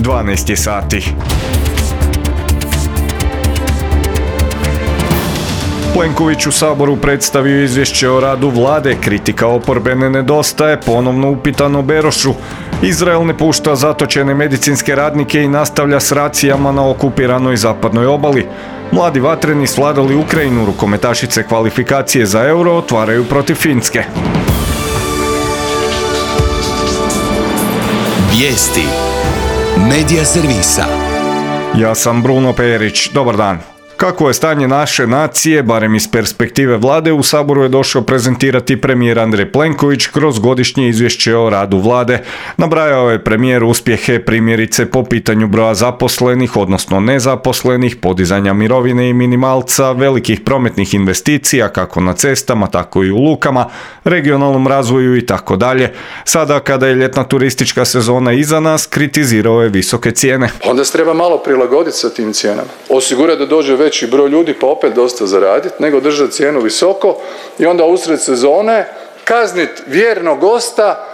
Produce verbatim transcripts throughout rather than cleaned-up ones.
dvanaest je sati. Plenković u Saboru predstavio izvješće o radu vlade, kritika oporbe ne nedostaje, ponovno upitano Berošu. Izrael ne pušta zatočene medicinske radnike i nastavlja s racijama na okupiranoj zapadnoj obali. Mladi vatreni svladali Ukrajinu, rukometašice kvalifikacije za Euro otvaraju protiv Finske. Vijesti Medija servisa. Ja sam Bruno Perić, dobar dan. Kako je stanje naše nacije, barem iz perspektive vlade, u Saboru je došao prezentirati premijer Andrej Plenković kroz godišnje izvješće o radu vlade. Nabrajao je premijer uspjehe primjerice po pitanju broja zaposlenih, odnosno nezaposlenih, podizanja mirovine i minimalca, velikih prometnih investicija kako na cestama, tako i u lukama, regionalnom razvoju i tako dalje. Sada kada je ljetna turistička sezona iza nas, kritizirao je visoke cijene. Onda se treba malo prilagoditi sa tim cijenama. Osigurati da dođe veći broj ljudi pa opet dosta zaraditi, nego držati cijenu visoko i onda usred sezone kazniti vjernog gosta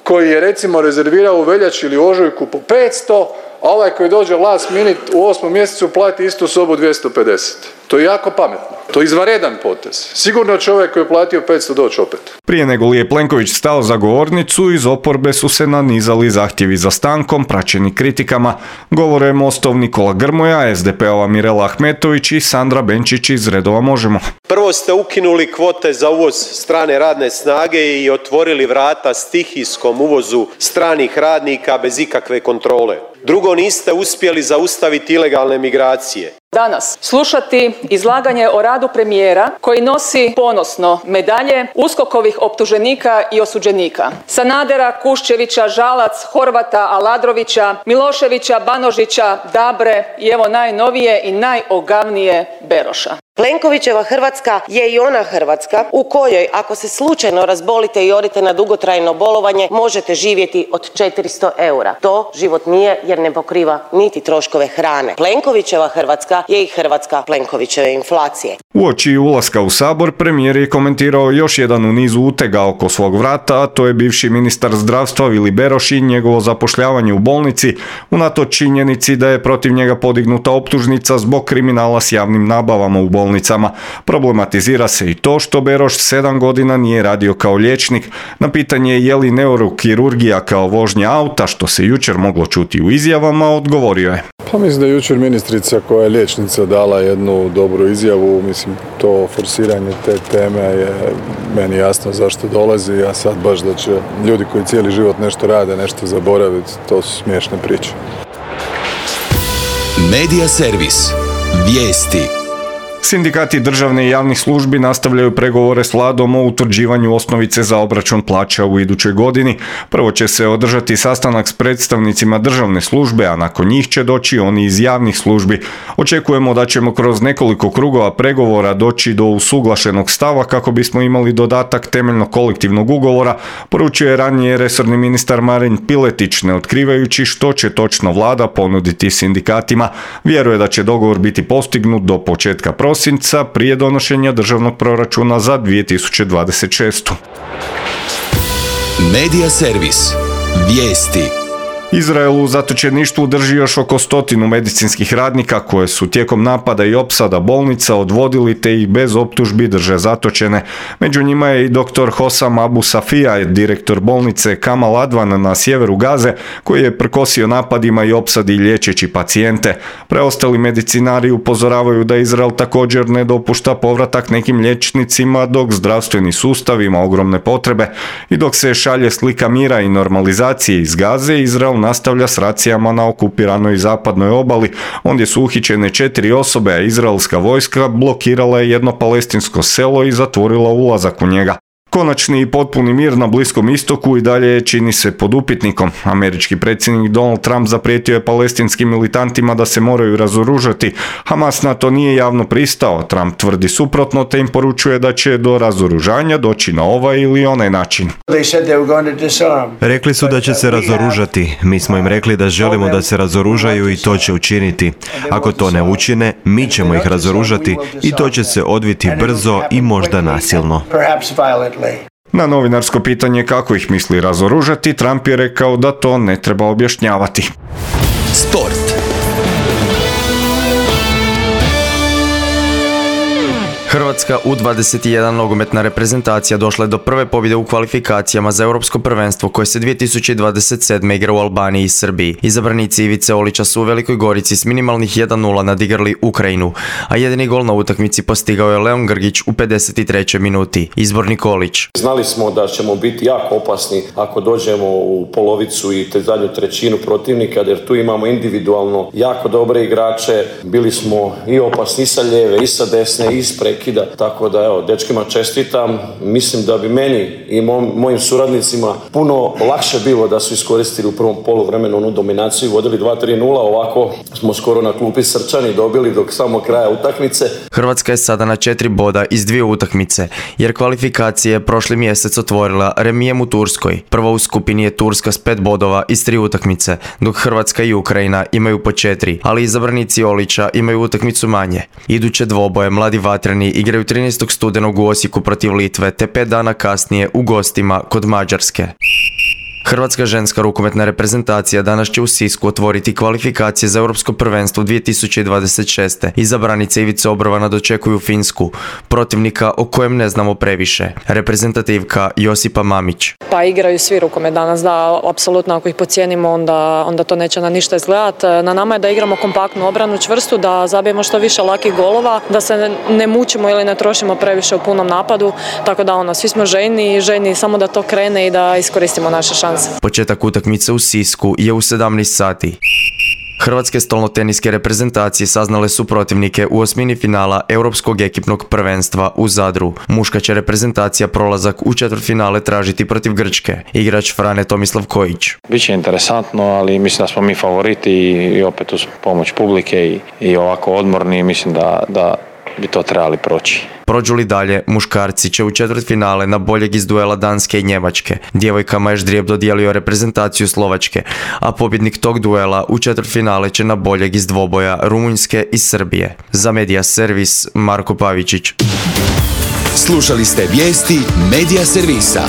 koji je recimo rezervirao u veljači ili ožujku po petsto, a ovaj koji dođe last minute u osmom mjesecu plati istu sobu dvjesto pedeset. To je jako pametno. To je izvanredan potez. Sigurno će ovaj koji je platio petsto doći opet. Prije nego li je Plenković stao za govornicu, iz oporbe su se nanizali zahtjevi za stankom, praćeni kritikama. Govore je Mostov Nikola Grmoja, es de pe ova Mirela Ahmetović i Sandra Benčić iz redova Možemo. Prvo ste ukinuli kvote za uvoz strane radne snage i otvorili vrata stihijskom uvozu stranih radnika bez ikakve kontrole. Drugo, niste uspjeli zaustaviti ilegalne migracije. Danas slušati izlaganje o radu premijera koji nosi ponosno medalje USKOK-ovih optuženika i osuđenika. Sanadera, Kuščevića, Žalac, Horvata, Aladrovića, Miloševića, Banožića, Dabre i evo najnovije i najogavnije Beroša. Plenkovićeva Hrvatska je i ona Hrvatska u kojoj ako se slučajno razbolite i odete na dugotrajno bolovanje možete živjeti od četiristo eura. To život nije jer ne pokriva niti troškove hrane. Plenkovićeva Hrvatska je i Hrvatska Plenkovićeve inflacije. Uoči ulaska u Sabor premijer je komentirao još jedan u nizu utega oko svog vrata, a to je bivši ministar zdravstva Vili Beroš i njegovo zapošljavanje u bolnici, unatoč činjenici da je protiv njega podignuta optužnica zbog kriminala s javnim nabavama u bolnicama. Problematizira se i to što Beroš sedam godina nije radio kao liječnik. Na pitanje je li neurokirurgija kao vožnja auta, što se jučer moglo čuti u izjavama, odgovorio je. Pa mislim da je jučer ministrica koja je liječnica dala jednu dobru izjavu. Mislim, to forsiranje te teme je meni jasno zašto dolazi. Ja sad baš da će ljudi koji cijeli život nešto rade, nešto zaboraviti, to su smiješne priče. Medija servis. Vijesti. Sindikati državne i javnih službi nastavljaju pregovore s vladom o utvrđivanju osnovice za obračun plaća u idućoj godini. Prvo će se održati sastanak s predstavnicima državne službe, a nakon njih će doći oni iz javnih službi. Očekujemo da ćemo kroz nekoliko krugova pregovora doći do usuglašenog stava kako bismo imali dodatak temeljnog kolektivnog ugovora, poručio je ranije resorni ministar Marin Piletić, ne otkrivajući što će točno vlada ponuditi sindikatima. Vjeruje da će dogovor biti postignut do početka prosinca prije donošenja državnog proračuna za dvije tisuće dvadeset šestu. Medija servis. Vijesti. Izrael u zatočeništvu drži još oko stotinu medicinskih radnika koje su tijekom napada i opsada bolnica odvodili te ih bez optužbi drže zatočene. Među njima je i doktor Hossam Abu Safija, direktor bolnice Kamal Advan na sjeveru Gaze, koji je prkosio napadima i opsadi liječeći pacijente. Preostali medicinari upozoravaju da Izrael također ne dopušta povratak nekim liječnicima dok zdravstveni sustav ima ogromne potrebe. I dok se šalje slika mira i normalizacije iz Gaze, Izrael nastavlja s racijama na okupiranoj zapadnoj obali, ondje su uhićene četiri osobe, a izraelska vojska blokirala je jedno palestinsko selo i zatvorila ulazak u njega. Konačni i potpuni mir na Bliskom istoku i dalje čini se pod upitnikom. Američki predsjednik Donald Trump zaprijetio je palestinskim militantima da se moraju razoružati. Hamas na to nije javno pristao. Trump tvrdi suprotno te im poručuje da će do razoružanja doći na ovaj ili onaj način. Rekli su da će se razoružati. Mi smo im rekli da želimo da se razoružaju i to će učiniti. Ako to ne učine, mi ćemo ih razoružati i to će se odviti brzo i možda nasilno. Na novinarsko pitanje kako ih misli razoružati, Trump je rekao da to ne treba objašnjavati. Sport. Hrvatska U dvadeset jedan nogometna reprezentacija došla je do prve pobjede u kvalifikacijama za Europsko prvenstvo koje se dvije tisuće dvadeset sedme igra u Albaniji i Srbiji. Izabranici Ivice Olića su u Velikoj Gorici s minimalnih jedan nula nadigrali Ukrajinu, a jedini gol na utakmici postigao je Leon Grgić u pedeset trećoj minuti. Izbornik Olić. Znali smo da ćemo biti jako opasni ako dođemo u polovicu i te zadnju trećinu protivnika, jer tu imamo individualno jako dobre igrače. Bili smo i opasni i sa lijeve i sa desne i s prekida, tako da evo, dečkima čestitam. Mislim da bi meni i moj, mojim suradnicima puno lakše bilo da su iskoristili u prvom poluvremenu onu dominaciju, vodili dva tri nula, ovako smo skoro na klupi srčani dobili dok samo kraja utakmice. Hrvatska je sada na četiri boda iz dvije utakmice, jer kvalifikacije je prošli mjesec otvorila remijem u Turskoj. Prva u skupini je Turska s pet bodova iz tri utakmice, dok Hrvatska i Ukrajina imaju po četiri, ali izabranici Olića imaju utakmicu manje. Iduće dvoboje mladi vatreni igraju trinaestog studenog u Osijeku protiv Litve, te pet dana kasnije u gostima kod Mađarske. Hrvatska ženska rukometna reprezentacija danas će u Sisku otvoriti kvalifikacije za Europsko prvenstvo dvije tisuće dvadeset šeste. Izabranice Ivice Obrovana dočekuju Finsku, protivnika o kojem ne znamo previše. Reprezentativka Josipa Mamić. Pa igraju svi rukomet danas, da, apsolutno ako ih podcijenimo onda, onda to neće na ništa izgledati. Na nama je da igramo kompaktnu obranu, čvrstu, da zabijemo što više lakih golova, da se ne mučimo ili ne trošimo previše u punom napadu, tako da ono, svi smo željni i željni samo da to krene i da iskoristimo naše šanse. Početak utakmice u Sisku je u sedamnaest sati. Hrvatske stolnoteniske reprezentacije saznale su protivnike u osmini finala Europskog ekipnog prvenstva u Zadru. Muška će reprezentacija prolazak u četvrtfinale tražiti protiv Grčke. Igrač Frane Tomislav Kojić. Biće interesantno, ali mislim da smo mi favoriti i opet uz pomoć publike i, i ovako odmorni, mislim da, da bi to trebali proći. Prođu li dalje, muškarci će u četvrtfinale na boljeg iz duela Danske i Njemačke. Djevojkama je ždrijeb dodijelio reprezentaciju Slovačke, a pobjednik tog duela u četvrtfinale će na boljeg iz dvoboja Rumunjske i Srbije. Za Medija Servis, Marko Pavičić. Slušali ste vijesti Medija Servisa.